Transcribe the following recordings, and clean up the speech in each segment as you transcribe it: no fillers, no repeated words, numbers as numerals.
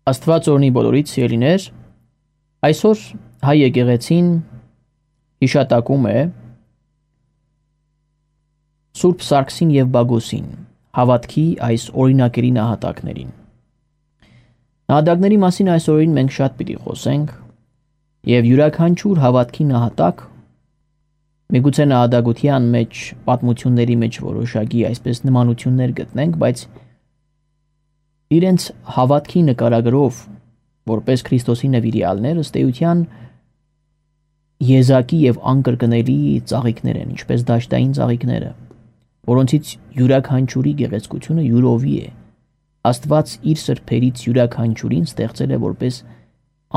Աստված օրհնի բոլորիդ սիրելիներ, այսօր հայ եկեղեցին հիշատակում է Սուրբ Սարգսին եւ Բագոսին, հավատքի այս օրինակելի նահատակներին։ Նահատակների մասին այս օրերին մենք շատ պիտի խոսենք եւ յուրաքանչյուր հավատքի նահատակ միգուցե նահատակության մեջ պատմությունների մեջ որոշակի այսպես նմանություններ գտնենք, բայց իրենց հավատքի նկարագրով որպես Քրիստոսի նվիրյալներ ըստ էության եզակի եւ անկրկնելի ծաղիկներ են, ինչպես դաշտային ծաղիկները, որոնցից յուրաքանչյուրի գեղեցկությունը յուրովի է։ Աստված իր սրբերից յուրաքանչյուրին ստեղծել է որպես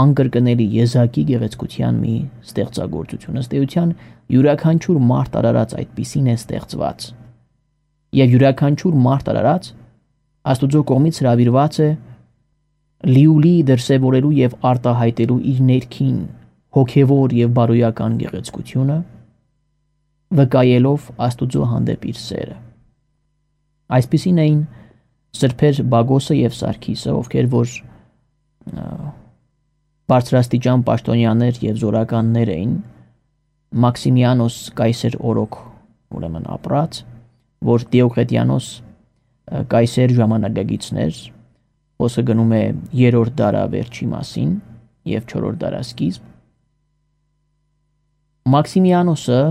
անկրկնելի եզակի գեղեցկության մի ստեղծագործություն։ Ըստ էության յուրաքանչյուր մարդ արարած այդպիսին է ստեղծված։ Եվ յուրաքանչյուր մարդ արարած Աստուծո կողմից հրավիրված է լիուլի դրսևորելու եւ արտահայտելու իր ներքին հոգեվոր եւ բարոյական գեղեցկությունը, վկայելով Աստուծո հանդեպ իր սերը։ Այսպիսին էին սրբեր Բագոսը եւ Սարգիսը, ովքեր որ բարձրաստիճան պաշտոնյաներ եւ զորականներ էին, Մաքսիմիանոս կայսեր օրոք ուրեմն ապրած, որ Դիոկլետիանոս կայսեր ժամանակագիցներ, խոսքը գնում է 3-րդ դարավերջի մասին եւ 4-րդ դարասկիզբ։ Մաքսիմիանոսը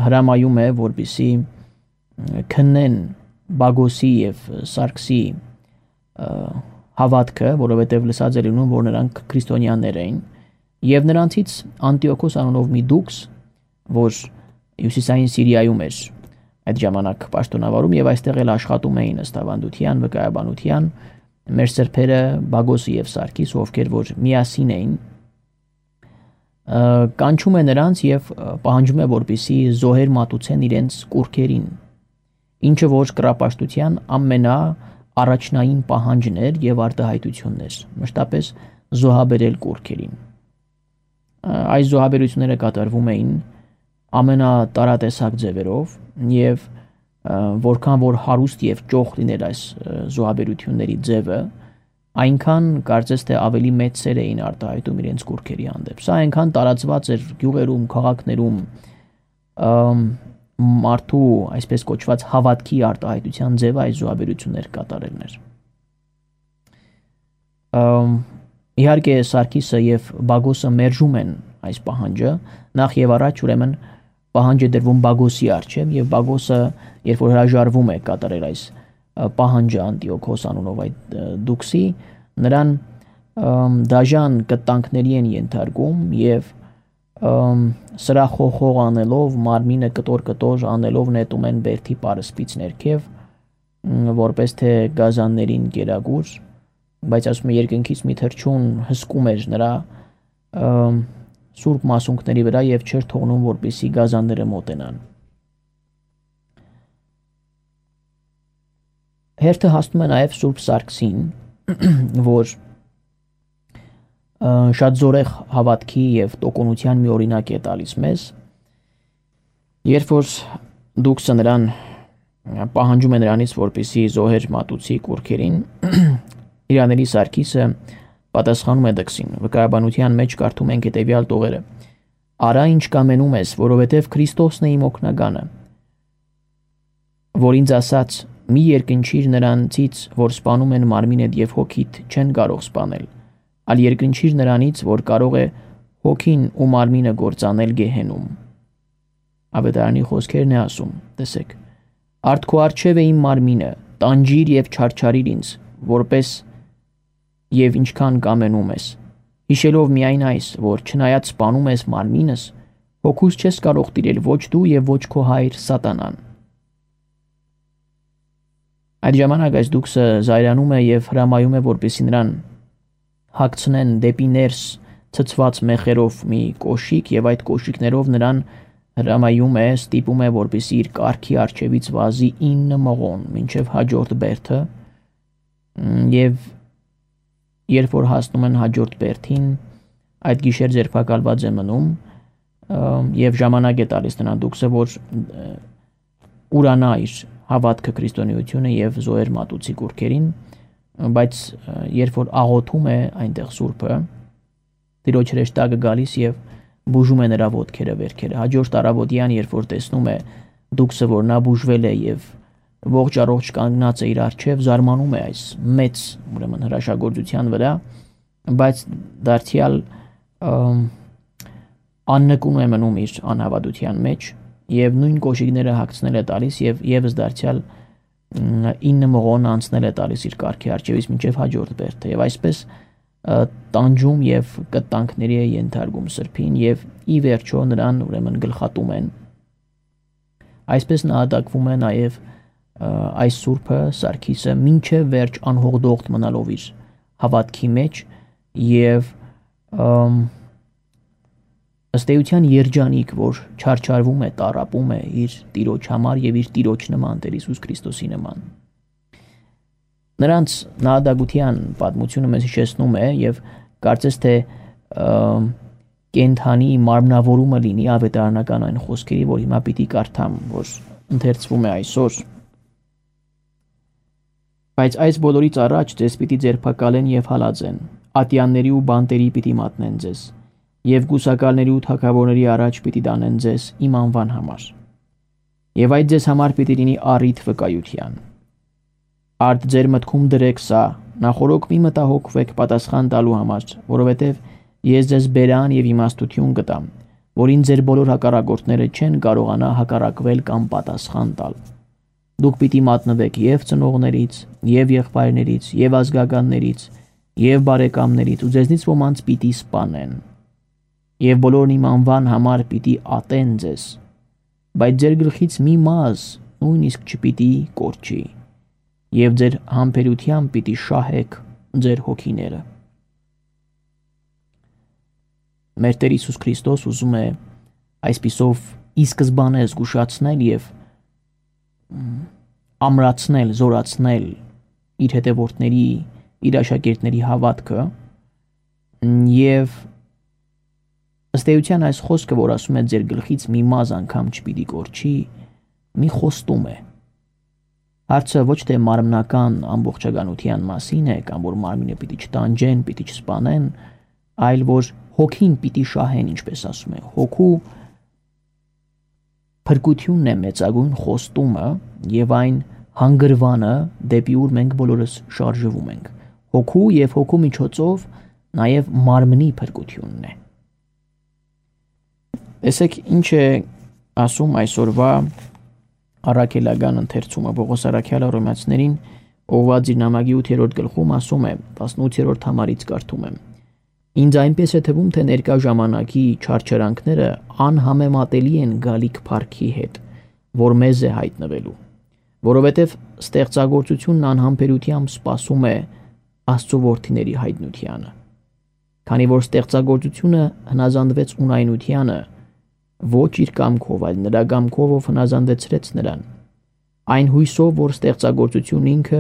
հրամայում է, որպեսզի քննեն Բագոսի եւ Սարգսի հավատքը, որովհետեւ լսած է լինում, որ նրանք քրիստոնյաներ էին, եւ նրանցից Անտիոքոս անունով մի դուքս, որ հյուսիսային Սիրիայում էր այդ ժամանակ պաշտոնավարում եւ այստեղ էլ աշխատում էին ըստ ավանդության, վկայաբանության մեր սրբերը Բագոսը եւ Սարգիսը, ովքեր որ միասին էին, կանչում է նրանց եւ պահանջում է, որպեսզի զոհեր մատուցեն իրենց կուռքերին, ինչը որ կռապաշտության ամենաառաջնային պահանջն էր եւ արտահայտություններ, մշտապես զոհաբերել կուռքերին։ Այս զոհաբերությունները կատարվում էին ամենատարատեսակ ձևերով եւ որքան որ հարուստ եւ ճոխ լիներ այս զոհաբերությունների ձևը, այնքան կարծես թե ավելի մեծ սեր էին արտահայտում իրենց կուռքերի հանդեպ։ Սա այնքան տարածված էր գյուղերում, քաղաքներում մարդու այսպես կոչված հավատքի արտահայտության ձևը այս զոհաբերություններ կատարելն էր։ Իհարկե Սարգիսը եւ Բագոսը մերժում են այս պահանջը, նախ եւ առաջ ուրեմն պահանջը դրվում Բագոսի առջև եւ Բագոսը երբ որ հրաժարվում է կատարել այս պահանջը Անտիոքոս անունով այդ դուքսի, նրան դաժան կտանքների են ենթարկում եւ սրախոխող անելով մարմինը կտոր անելով նետում են բերդի պարսպից ներքև, որպես թե գազաններին գերագուր, բայց ասում է երկնքից մի թռչուն հսկում էր նրա սուրբ մասունքների վրա եւ չէր թողնում, որպեսզի գազանները մոտենան։ Հերթը հասնում է նաեւ Սուրբ Սարգսին, որ շատ զորեղ հավատքի եւ տոկունության մի օրինակ է տալիս մեզ, երբ որ դուքսը նրան պահանջում է նրանից, որպեսզի զոհեր մատուցի կուռքերին, Իրանելի Սարգիսը պատասխանում է դքսին, վկայաբանության մեջ կարդում ենք հետևյալ տողերը. «Արա ինչ կամենում ես, որովհետև Քրիստոսն է իմ օգնականը, որ ինձ ասաց, մի երկնչիր նրանցից, որ սպանում են մարմինդ եւ հոգիդ, չեն կարող սպանել, այլ երկնչիր նրանից, որ կարող է հոգին ու մարմինը գործանել գեհենում»։ Ավետարանի խոսքերն է ասում, տեսեք. «Արդ քո առջև է իմ մարմինը, տանջիր եւ չարչարիր ինձ, որպես եւ ինչքան կամենում ես, հիշելով միայն այս, որ չնայած սպանում ես մարմինս, հոգուս չես կարող տիրել ոչ դու եւ ոչ քո հայր սատանան»։ Այդ ժամանակ այս դուքսը զայրանում է եւ հրամայում է, որպեսզի նրան հագցնեն դեպի ներս ցցված մեխերով մի կոշիկ եւ այդ կոշիկներով նրան հրամայում է, ստիպում է, որպեսզի իր կառքի առջևից վազի 9 մղոն մինչեւ հաջորդ բերդը եւ երբ որ հասնում են հաջորդ բերդին, այդ գիշեր ձերբակալված է մնում եւ ժամանակ է տալիս նրան դուքսը, որ ուրանա իր հավատքը քրիստոնեությունը եւ զոհեր մատուցի կուռքերին, բայց երբ որ աղոթում է այնտեղ Սուրբը, Տիրոջ հրեշտակը գալիս եւ բուժում է նրա ոտքերը, վերքերը։ Հաջորդ առավոտյան, երբ որ տեսնում է դուքսը, որ նա բուժվել է եւ ողջ առողջ կանգնած է իր առջև, զարմանում է այս մեծ, ուրեմն հրաշագործության վրա, բայց դարձյալ աննկուն է մնում իր անհավատության մեջ եւ նույն կոշիկները հագցնել է տալիս եւ եւս դարձյալ 9 մղոն անցնել է տալիս իր կարգի առջևից մինչև հաջորդ բերդը եւ այսպես տանջում եւ կտանքների է ենթարկում Սրբին եւ ի վերջո նրան ուրեմն գլխատում են։ Այսպես նահատակվում է նաեւ այս Սուրբը Սարգիսը մինչև վերջ անհողդողտ մնալով իր հավատքի մեջ եւ ըստ էության երջանիկ, որ չարչարվում է, տառապում է իր Տիրոջ համար եւ իր Տիրոջ նման, Տեր Հիսուս Քրիստոսի նման։ Նրանց նահատակության պատմությունը մեզ հիշեցնում է եւ կարծես թե կենթանի մարմնավորումը լինի ավետարանական այն խոսքերի, որ հիմա պիտի կարդամ, որ ընթերցվում է այսօր։ Բայց այս բոլորից առաջ ձեզ պիտի ձերբակալեն եւ հալածեն, ատյանների ու բանտերի պիտի մատնեն ձեզ, եւ գուսակալների ու թագավորների առաջ պիտի տանեն ձեզ իմ անվան համար։ Եվ այդ ձեզ համար պիտի լինի առիթ վկայության։ Արդ ձեր մտքում դրեք սա, նախորոք մի մտահոգվեք պատասխան տալու համար, որովհետև ես ձեզ բերան եւ իմաստություն կտամ, որին ձեր բոլոր հակառակորդները չեն կարողանա հակառակվել կամ պատասխան տալ։ Դուք պիտի մատնվեք եւ ծնողներից, եւ եղբայրներից, եւ ազգականներից, եւ բարեկամներից, ու ձեզնից ոմանց պիտի սպանեն։ Եվ բոլորն իմ անվան համար պիտի ատեն ձեզ, բայց ձեր գլխից մի մազ նույնիսկ չպիտի կորչի, եւ ձեր համբերությամբ պիտի շահեք ձեր հոգիները։ Մեր Տեր Հիսուս Քրիստոս ուզում է այսպիսով ի սկզբանե զգուշացնել եւ ամրացնել, զորացնել իր հետևորդների, իր աշակերտների հավատքը եւ ըստ էության այս խոսքը, որ ասում է ձեր գլխից մի մազ անգամ չպիտի կորչի, մի խոստում է։ Հարցը ոչ թե մարմնական ամբողջականության մասին է, կամ որ մարմինը պիտի չտանջեն, պիտի չսպանեն, այլ որ հոգին պիտի շահեն, ինչպես ասում է։ Հոգու փրկությունն է մեծագույն խոստումը եւ այն հանգրվանը, դեպի ուր մենք բոլորս շարժվում ենք։ Հոգու եւ հոգու միջոցով նաեւ մարմնի փրկությունն է։ Տեսեք ինչ է ասում այսօրվա առաքելական ընթերցումը Պողոս առաքյալը Հռոմեացիներին ուղղված իր նամակի 8-րդ գլխում ասում է 18-րդ համարից կարդում եմ. Ինձ այնպես է թվում, թե ներկա ժամանակի չարչարանքները անհամեմատելի են գալիք փառքի հետ, որ մեզ է հայտնվելու, որովհետև ստեղծագործությունն անհամբերությամբ սպասում է Աստծո որդիների հայտնությանը։ Քանի որ ստեղծագործությունը հնազանդվեց ունայնությանը, ոչ իր կամքով, այլ նրա կամքով, ով հնազանդեցրեց նրան, այն հույսով, որ ստեղծագործությունն ինքը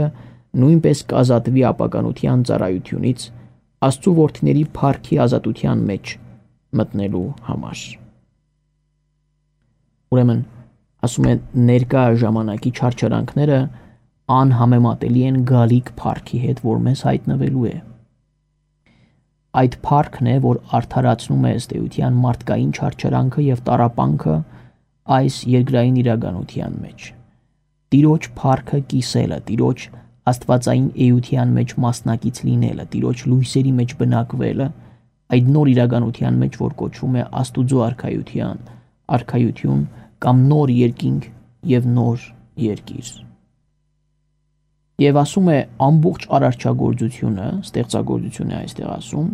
նույնպես կազատվի ապականության ծառայությունից Աստծո որդիների փառքի ազատության մեջ մտնելու համար։ Ուրեմն ասում է ներկա ժամանակի չարչարանքները անհամեմատելի են գալիք փառքի հետ, որ մեզ հայտնվելու է։ Այդ փառքն է, որ արդարացնում է ըստ էության մարդկային չարչարանքը եւ տառապանքը այս երկրային իրականության մեջ։ Տիրոջ փառքը կիսելը, Տիրոջ աստվածային էության մեջ մասնակից լինելը, Տիրոջ լույսերի մեջ բնակվելը, այդ նոր իրականության մեջ, որ կոչվում է Աստուծո արքայություն կամ նոր երկինք եւ նոր երկիր։ Եվ ասում է ամբողջ արարչագործությունը, ստեղծագործությունը այստեղ ասում,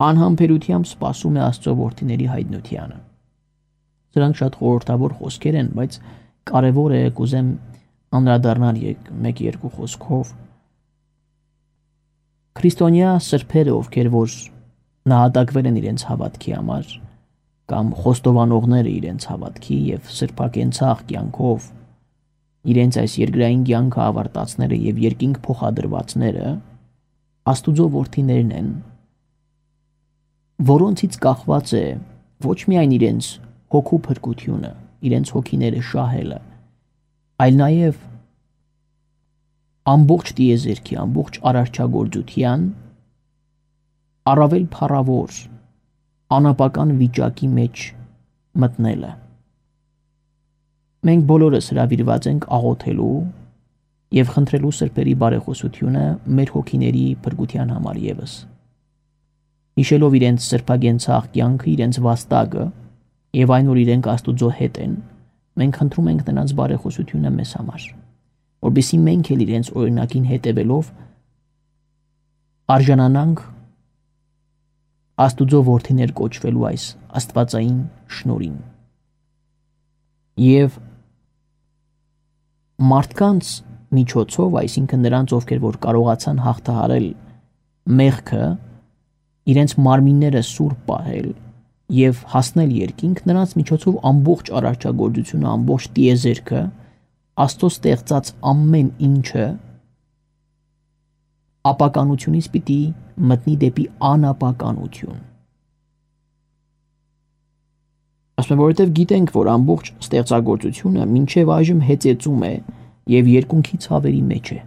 անհամբերությամբ սպասում է Աստծո որդիների հայտնությանը։ Սրանք շատ խորհրդավոր խոսքեր են, բայց կարևոր է կուզեմ անդրադառնալ 1-2 խոսքով։ Քրիստոնյա սրբերը, ովքեր որ նահատակվել են իրենց հավատքի համար, կամ խոստովանողները իրենց հավատքի եւ սրբակենցաղ կյանքով իրենց այս երկրային կյանքը ավարտածները եւ երկինք փոխադրվածները Աստուծո որդիներն են, որոնցից կախված է ոչ միայն իրենց հոգու փրկությունը, իրենց հոգիները շահելը, այլ նաև ամբողջ տիեզերքի, ամբողջ արարչագործության առավել փառավոր անապական վիճակի մեջ մտնելը։ Մենք բոլորս հրավիրված ենք աղոթելու եւ խնդրելու սրբերի բարեխոսությունը մեր հոգիների փրկության համար եւս։ Հիշելով իրենց սրբագենցաղ կյանքը, իրենց վաստակը եւ այն, որ իրենք Աստուծո հետ են, մենք խնդրում ենք նրանց բարեխոսությունը մեզ համար, որովհետեւ մենք էլ իրենց օրինակին հետևելով արժանանանք Աստուծո որդիներ կոչվելու այս աստվածային շնորհին։ Եվ մարդկանց միջոցով, այսինքն նրանց, ովքեր որ կարողացան հաղթահարել մեղքը, իրենց մարմինները սուրբ պահել եւ հասնել երկինք, նրանց միջոցով ամբողջ արարչագործությունը, ամբողջ տիեզերքը, Աստծո ստեղծած ամեն ինչը ապականությունից պիտի մտնի դեպի անապականություն։ Ասում եմ, որովհետև գիտենք, որ ամբողջ ստեղծագործությունը մինչև այժմ հեծեծում է եւ երկունքի ցավերի մեջ է։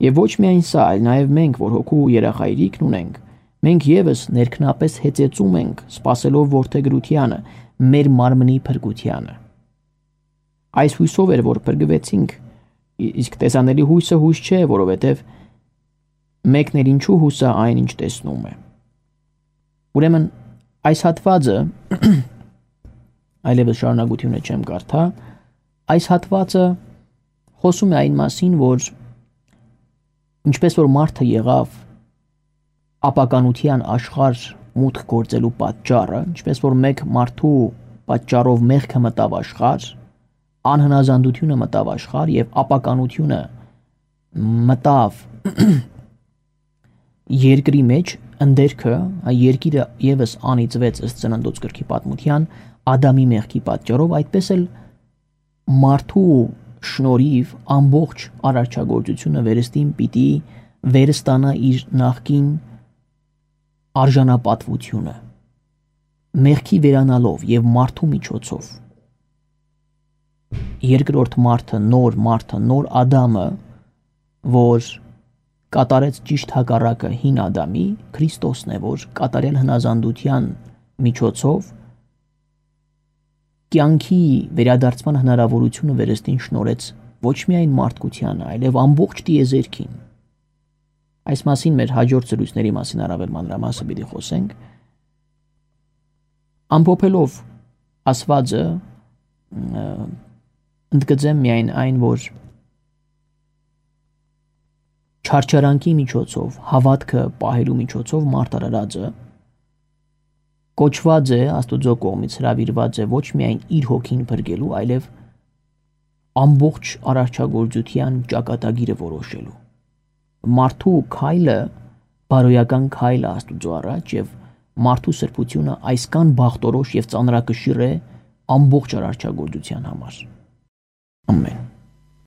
Եվ ոչ միայն սա, այլ նաեւ մենք, որ հոգու երախայրիկն ունենք, մենք եւս ներքնապես հեծեծում ենք, սпасելով որդեգրությանը, մեր մարմնի փրկությանը։ Այս հույսով էր, որ փրկվեցինք, իսկ տեսանելի հույսը հույս չէ, որովհետև մեկն էլ ինչու հույսը այն, ինչ տեսնում է։ Ուրեմն այս հատվածը այլևս շարունակությունը չեմ կարդա, այս հատվածը խոսում է այն մասին, որ ինչպես որ մարդը եղավ ապականության աշխարհ մուտք գործելու պատճառը, ինչպես որ մեկ մարդու պատճառով մեղքը մտավ աշխարհ, անհնազանդությունը մտավ աշխարհ եւ ապականությունը մտավ երկրի մեջ, ընդերքը, երկիրը եւս անիծվեց ըստ Ծննդոց գրքի պատմության Ադամի մեղքի պատճառով, այդպես էլ մարդու շնորհիվ ամբողջ արարչագործությունը վերստին պիտի վերստանա իր նախկին արժանապատվությունը մեղքի վերանալով եւ մարդու միջոցով երկրորդ մարդը, նոր Ադամը, որ կատարեց ճիշտ հակառակը հին Ադամի, Քրիստոսն է, որ կատարել հնազանդության միջոցով կյանքի վերադարձման հնարավորությունը վերստին շնորհեց ոչ միայն մարդկությանը, այլև ամբողջ տիեզերքին։ Այս մասին մեր հաջորդ զրույցների մասին առավել մանրամասը պիտի խոսենք։ Ամփոփելով ասվածը, ընդգծեմ միայն այն, որ չարչարանքի միջոցով, հավատքը պահելու միջոցով մարդ արարածը կոչված է Աստուծո կողմից հրավիրված է ոչ միայն իր հոգին փրկելու, այլև ամբողջ արարչագործության ճակատագիրը որոշելու։ Մարդու քայլը բարոյական քայլ է Աստուծո առաջ եւ մարդու սրբությունը այսքան բախտորոշ եւ ծանրակշիռ է ամբողջ արարչագործության համար։ Ամեն